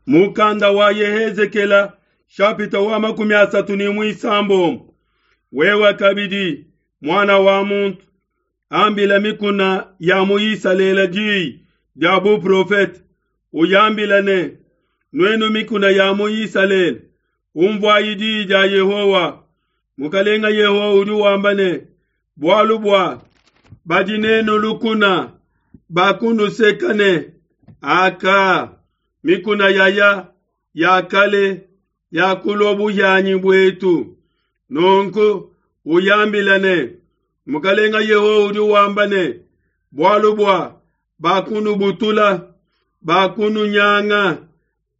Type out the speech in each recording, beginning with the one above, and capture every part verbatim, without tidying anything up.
Mukanda wa Yehezekela shapita wa makumi asatu ne muisambombo. Wewe kabidi muana wa muntu, ambila mikuna ya mu Isalele diyi dia buprofete, uyambila ne: Nuenu mikuna ya mu Isalele, umvuayi diyi dia Yehowa. Mukalenga Yehowa udi wamba ne: Bualu bua badi nenu lukuna bakunuseka ne: Aka, mikuna yaya ya kale yakulua buhianyi buetu. Nunku uyambila ne: Mukalenga Yehowa udi wamba ne: Bualu bua bakunubutula, bakununyanga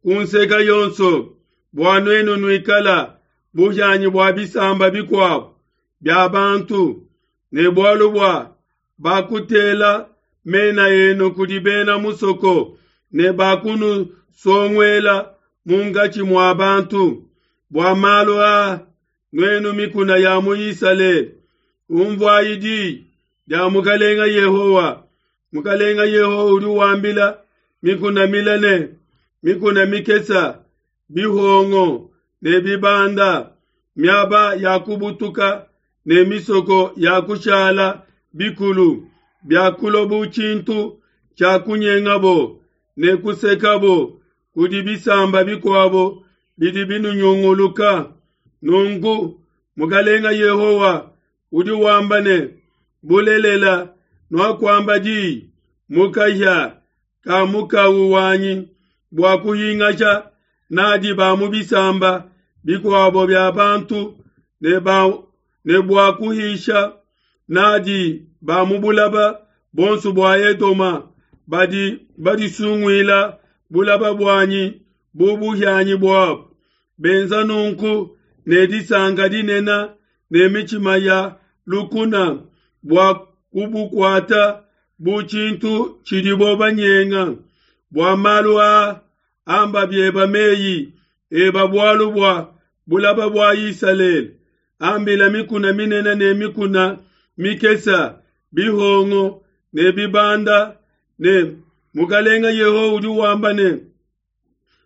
ku nseka yonso, bua nuenu nuikala buhianyi bua bisamba bikuabo bia bantu, ne bualu bua bakutela mena enu kudi bena musoko ne bakunusonguela munkatshi mua bantu. Bua malu aa, nuenu mikuna ya mu Isalele, umvuayi diyi dia Mukalenga Yehowa. Mukalenga Yehowa udi wambila mikuna mile ne mikuna mikesa, bihongo ne bibanda, miaba ya kubutuka ne misoko ya kushala bikulu, biakulua bu tshintu tshia kunyengabo ne kusekabo kudi bisamba bikuabo bidi binunyunguluka. Nunku Mukalenga Yehowa udi wamba ne: Bulelela nuakuamba diyi mu kahia ka mukawu wanyi bua kuhingasha nadi ba mu bisamba bikuabo bia bantu ne, ba, ne bua kuhisha nadi ba mu bulaba bonso bua Edoma badi badisunguila bulaba buanyi bu buhianyi buabo, benza nunku ne disanka dinene ne mitshima ya lukuna bua kubukuata bu tshintu tshidibo banyenga. Bua malu aa amba bieba meyi eba bualu bua bulaba bua Isalele, ambila mikuna minene ne mikuna mikesa, bihongo ne bibanda ne: Mukalenga Yehowa udi wamba ne: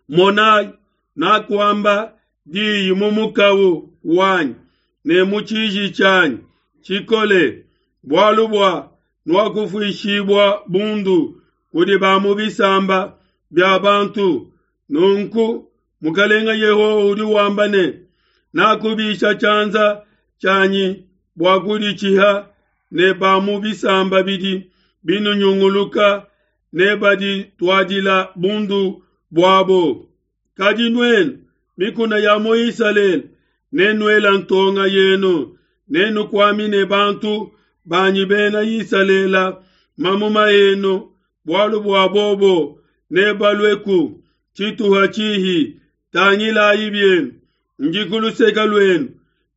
Monayi, nakuamba diyi mu mukawu wanyi ne mu tshiji tshianyi tshikole, bualu bua nuakufuishibua bundu kudi ba mu bisamba bia bantu. Nunku Mukalenga Yehowa udi wamba ne: Nakubisha tshianza tshianyi bua kuditshiha ne ba mu bisamba bidi binunyunguluka ne badituadila bundu buabo. Kadi nuenu mikuna ya mu Isalele, nenuela ntonga yenu, nenukuamine bantu banyi bena Isalele mamuma enu, bualu bua bobo nebalueku tshituha tshihi. Tangilayi bienu, ndi ku luseke luenu,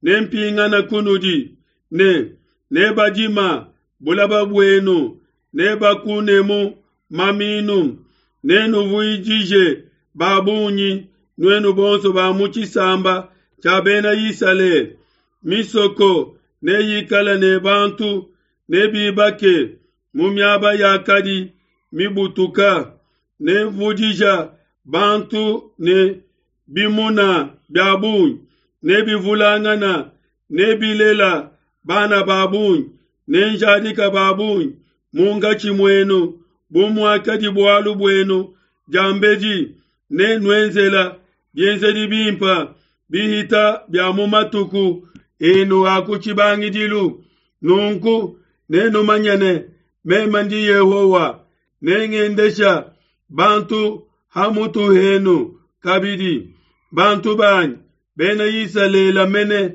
nempingana kunudi, ne nebadima bulaba buenu, nebakunemu maminu, nenuvuijije ba bungi nuenu bonso ba mu tshisamba tshia bena Isalele. Misoko neyikale ne bantu, nebibake mu miaba yakadi mibutuka, nevudija bantu ne bimuna bia bungi, nebivulangana, nebilela bana ba bungi, nenjadika ba bungi munkatshi muenu, bu muakadi bualu buenu diambedi, nenuenzela bienzedi bimpe bihita bia mu matuku enu a ku tshibangidilu. Nunku nenumanye ne, meme ndi Yehowa, nengendesha bantu ha mutu henu kabidi, bantu banyi bena Isalele mene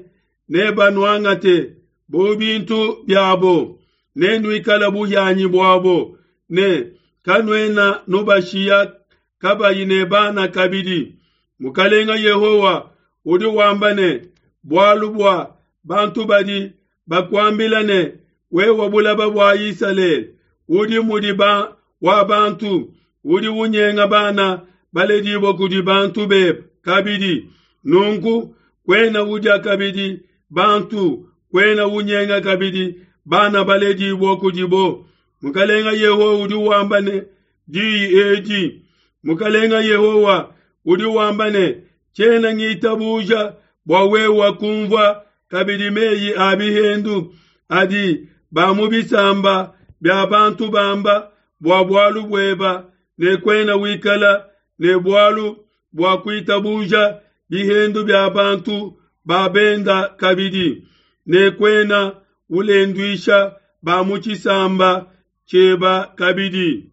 nebanuangate bu bintu biabo, nenuikala buhianyi buabo, ne kanuena nubashiya kabayi ne bana kabidi. Mukalenga Yehowa udi wamba ne: Bualu bua bantu badi bakuambila ne, wewe bulaba bua Isalele udi mudi ba wa bantu, udi unyenga bana baledibua kudi bantu bebe kabidi. Nunku kuena udia kabidi bantu, kuena unyenga kabidi bana baledibua kudibo. Mukalenga Yehowa udi wamba ne diyi edi. Mukalenga Yehowa udi wamba ne, tshiena ngitabuja bua wewe kumvua kabidi meyi a bihendu adi ba mu bisamba bia bantu bamba bua bualu bueba, ne kuena wikala ne bualu bua kuitabuja bihendu bia bantu ba benda kabidi, ne kuena ulenduisha ba mu tshisamba tshieba kabidi.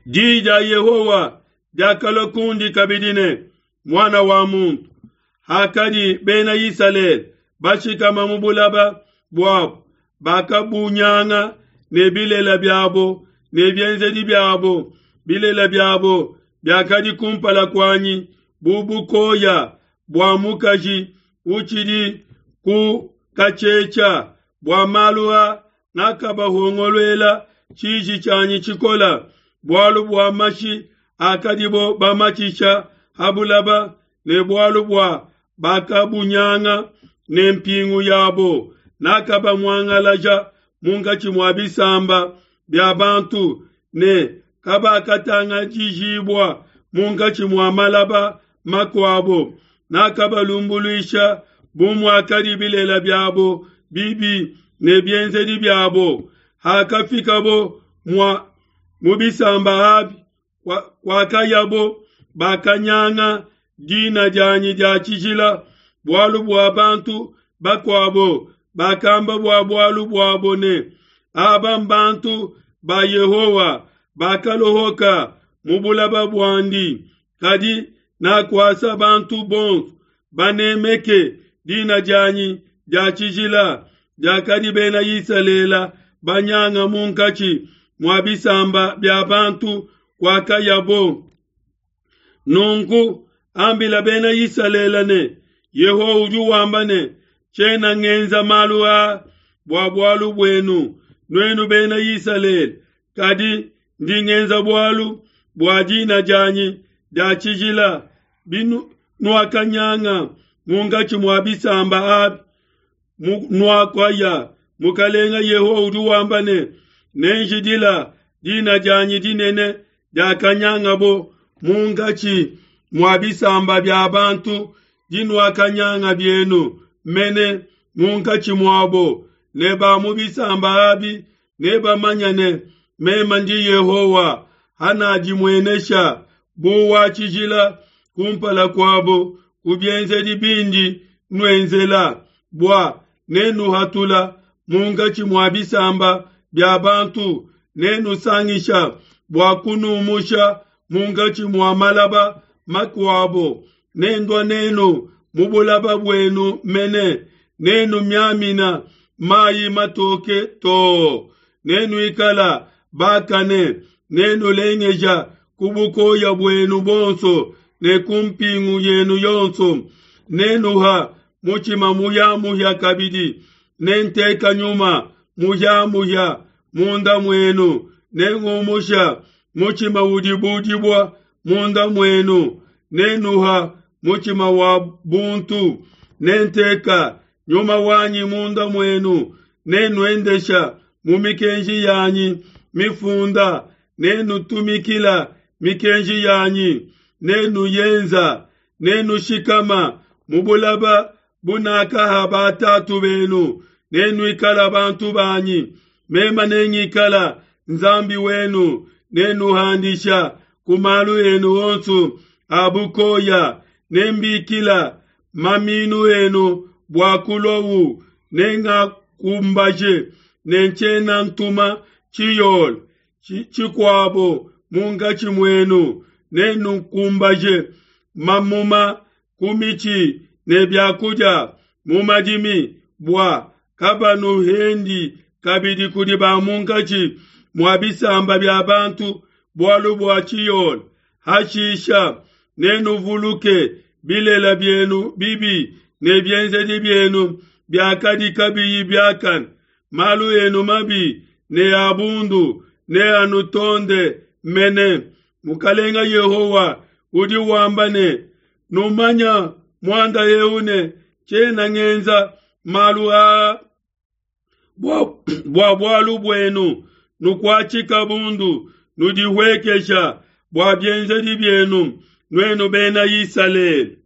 Diyi dia Yehowa diakalua kundi kabidi ne, muana wa muntu, hakadi bena Isalele bashikama mu bulaba buabo, bakabunyanga ne bilela biabo ne bienzedi biabo. Bilela biabo biakadi kumpala kuanyi bu bukoya bua mukaji utshidi ku katshetshia. Bua malu a nakabahongoluela tshiji tshianyi tshikola, bualu bua mashi akadibo bamatshisha ha bulaba, ne bualu bua bakabunyanga ne mpingu yabo. Nakabamuangalaja munkatshi mua bisamba bia bantu, ne kabakatangajijibua munkatshi mua malaba makuabo. Nakabalumbuluisha bu muakadi bilela biabo bibi ne bienzedi biabo. Hakafikabo mua mu bisamba abi kwakayabo, bakanyanga dina dianyi dia tshijila, bualu bua bantu bakuabo bakamba bua bualu buabo ne, aba mbantu ba Yehowa bakalohoka mu bulaba buandi. Kadi nakuasa bantu bonso banemeke dina dianyi dia tshijila diakadi bena Isalele banyanga munkatshi mua bisamba bia bantu kwakayabo. Nunku ambila bena Isalele ne, Yehowa udi wamba ne, tshiena ngenza malu a bua bualu buenu nuenu bena Isalele, kadi ndi ngenza bualu bua dina dianyi dia tshijila binuakanyanga munkatshi mua bisamba abi nuakaya. Mukalenga Yehowa udi wamba ne, nenjidila dina dianyi dinene diakanyangabo munkatshi mua bisamba bia bantu dinuakanyanga bienu mene munkatshi muabo, ne ba mu bisamba abi nebamanye ne meme ndi Yehowa, hanadimuenesha bu wa tshijila kumpala kuabo ku bienzedi bindi nuenzela, bua nenuhatula munkatshi mua bisamba bia bantu, nenusangisha bua kunumusha munkatshi mua malaba makuabo, nendua nenu mu bulaba buenu mene, nenumiamina mayi matoke too, nenuikala bakane, nenulengeja ku bukoya buenu bonso ne ku mpingu yenu yonso, nenuha mutshima muyamuya kabidi, nenteka nyuma muyamuya munda muenu, nengumusha mutshima udi budibua munda muenu, nenuha mutshima wa buntu, nenteka nyuma wanyi munda muenu, nenuendesha mu mikenji yanyi mifunda, nenutumikila mikenji yanyi, nenuyenza, nenushikama mu bulaba bunakaha batatu benu, nenuikala bantu banyi, mema nengikala Nzambi wenu, nenuhandisha ku malu enu onso a bukoya, nembikila maminu enu bua kulowu, nengakumbaje, nentshiena ntuma tshiyole tshikuabo munkatshi muenu, nenukumbaje mamuma ku mitshi ne biakudia mu madimi, bua kabanuhendi kabidi kudi ba munkatshi mua bisamba bia bantu bualu bua tshiyole. Hashisha nenuvuluke bilela bienu bibi ne bienzedi bienu biakadi kabiyi biakane, malu enu mabi ne abundu ne anutonde mene. Mukalenga Yehowa udi wamba ne, numanya muanda eu ne tshiena ngenza malu aa bua bualu buenu, nukuatshika bundu, nudihuekesha bua bienzedi bienu nuenu Bena Isalele.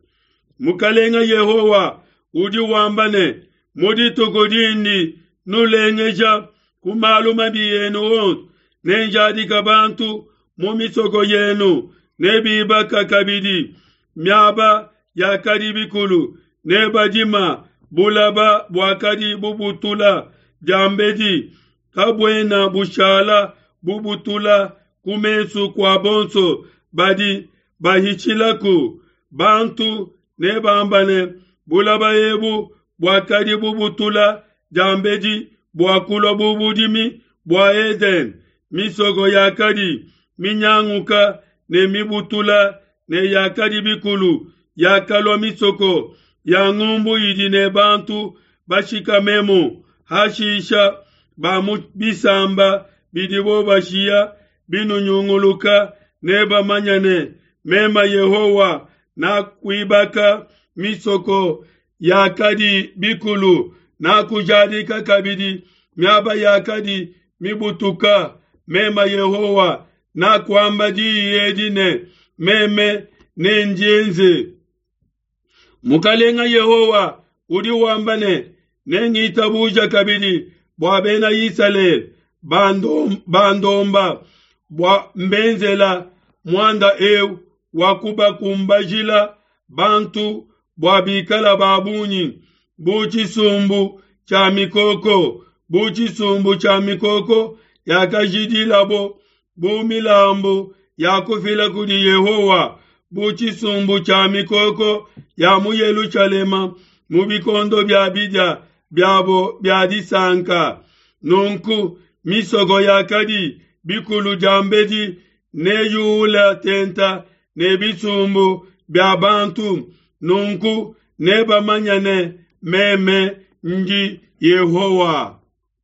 Mukalenga Yehowa udi wamba ne, mu dituku dindi nulengeja ku malu mabi enu onso, nenjadika bantu mu misoko yenu, ne bibaka kabidi miaba yakadi bikulu, ne badima bulaba buakadi bubutula diambedi, kabuena bushala bubutula ku mesu kua bonso badi bahitshilaku. Bantu nebamba ne, bulaba ebu buakadi bubutula diambedi buakulua bu budimi bua Edene, misoko yakadi minyanguka ne mibutula ne yakadi bikulu yakalua misoko ya ngumbu idi ne bantu bashikamemu. Hashisha ba mu bisamba bidibo bashiya binunyunguluka nebamanye ne, meme Yehowa nakuibaka misoko yakadi bikulu, nakujadika kabidi miaba yakadi mibutuka. Meme Yehowa nakuamba diyi edi ne, meme nendienze. Mukalenga Yehowa udi wamba ne, nengitabuja kabidi bua Bena Isalele bandomba bua mbenzela muanda eu wa kubakumbajila bantu bua bikala ba bungi bu tshisumbu tshia mikoko, bu tshisumbu tshia mikoko yakajidilabo bu milambu ya kufila kudi Yehowa, bu tshisumbu tshia mikoko ya mu Yelushalema mu bikondo bia bidia biabo bia disanka. Nunku misoko yakadi bikulu diambedi neyuula tenta ne bisumbu bia bantu. Nunku nebamanye ne, meme ndi Yehowa.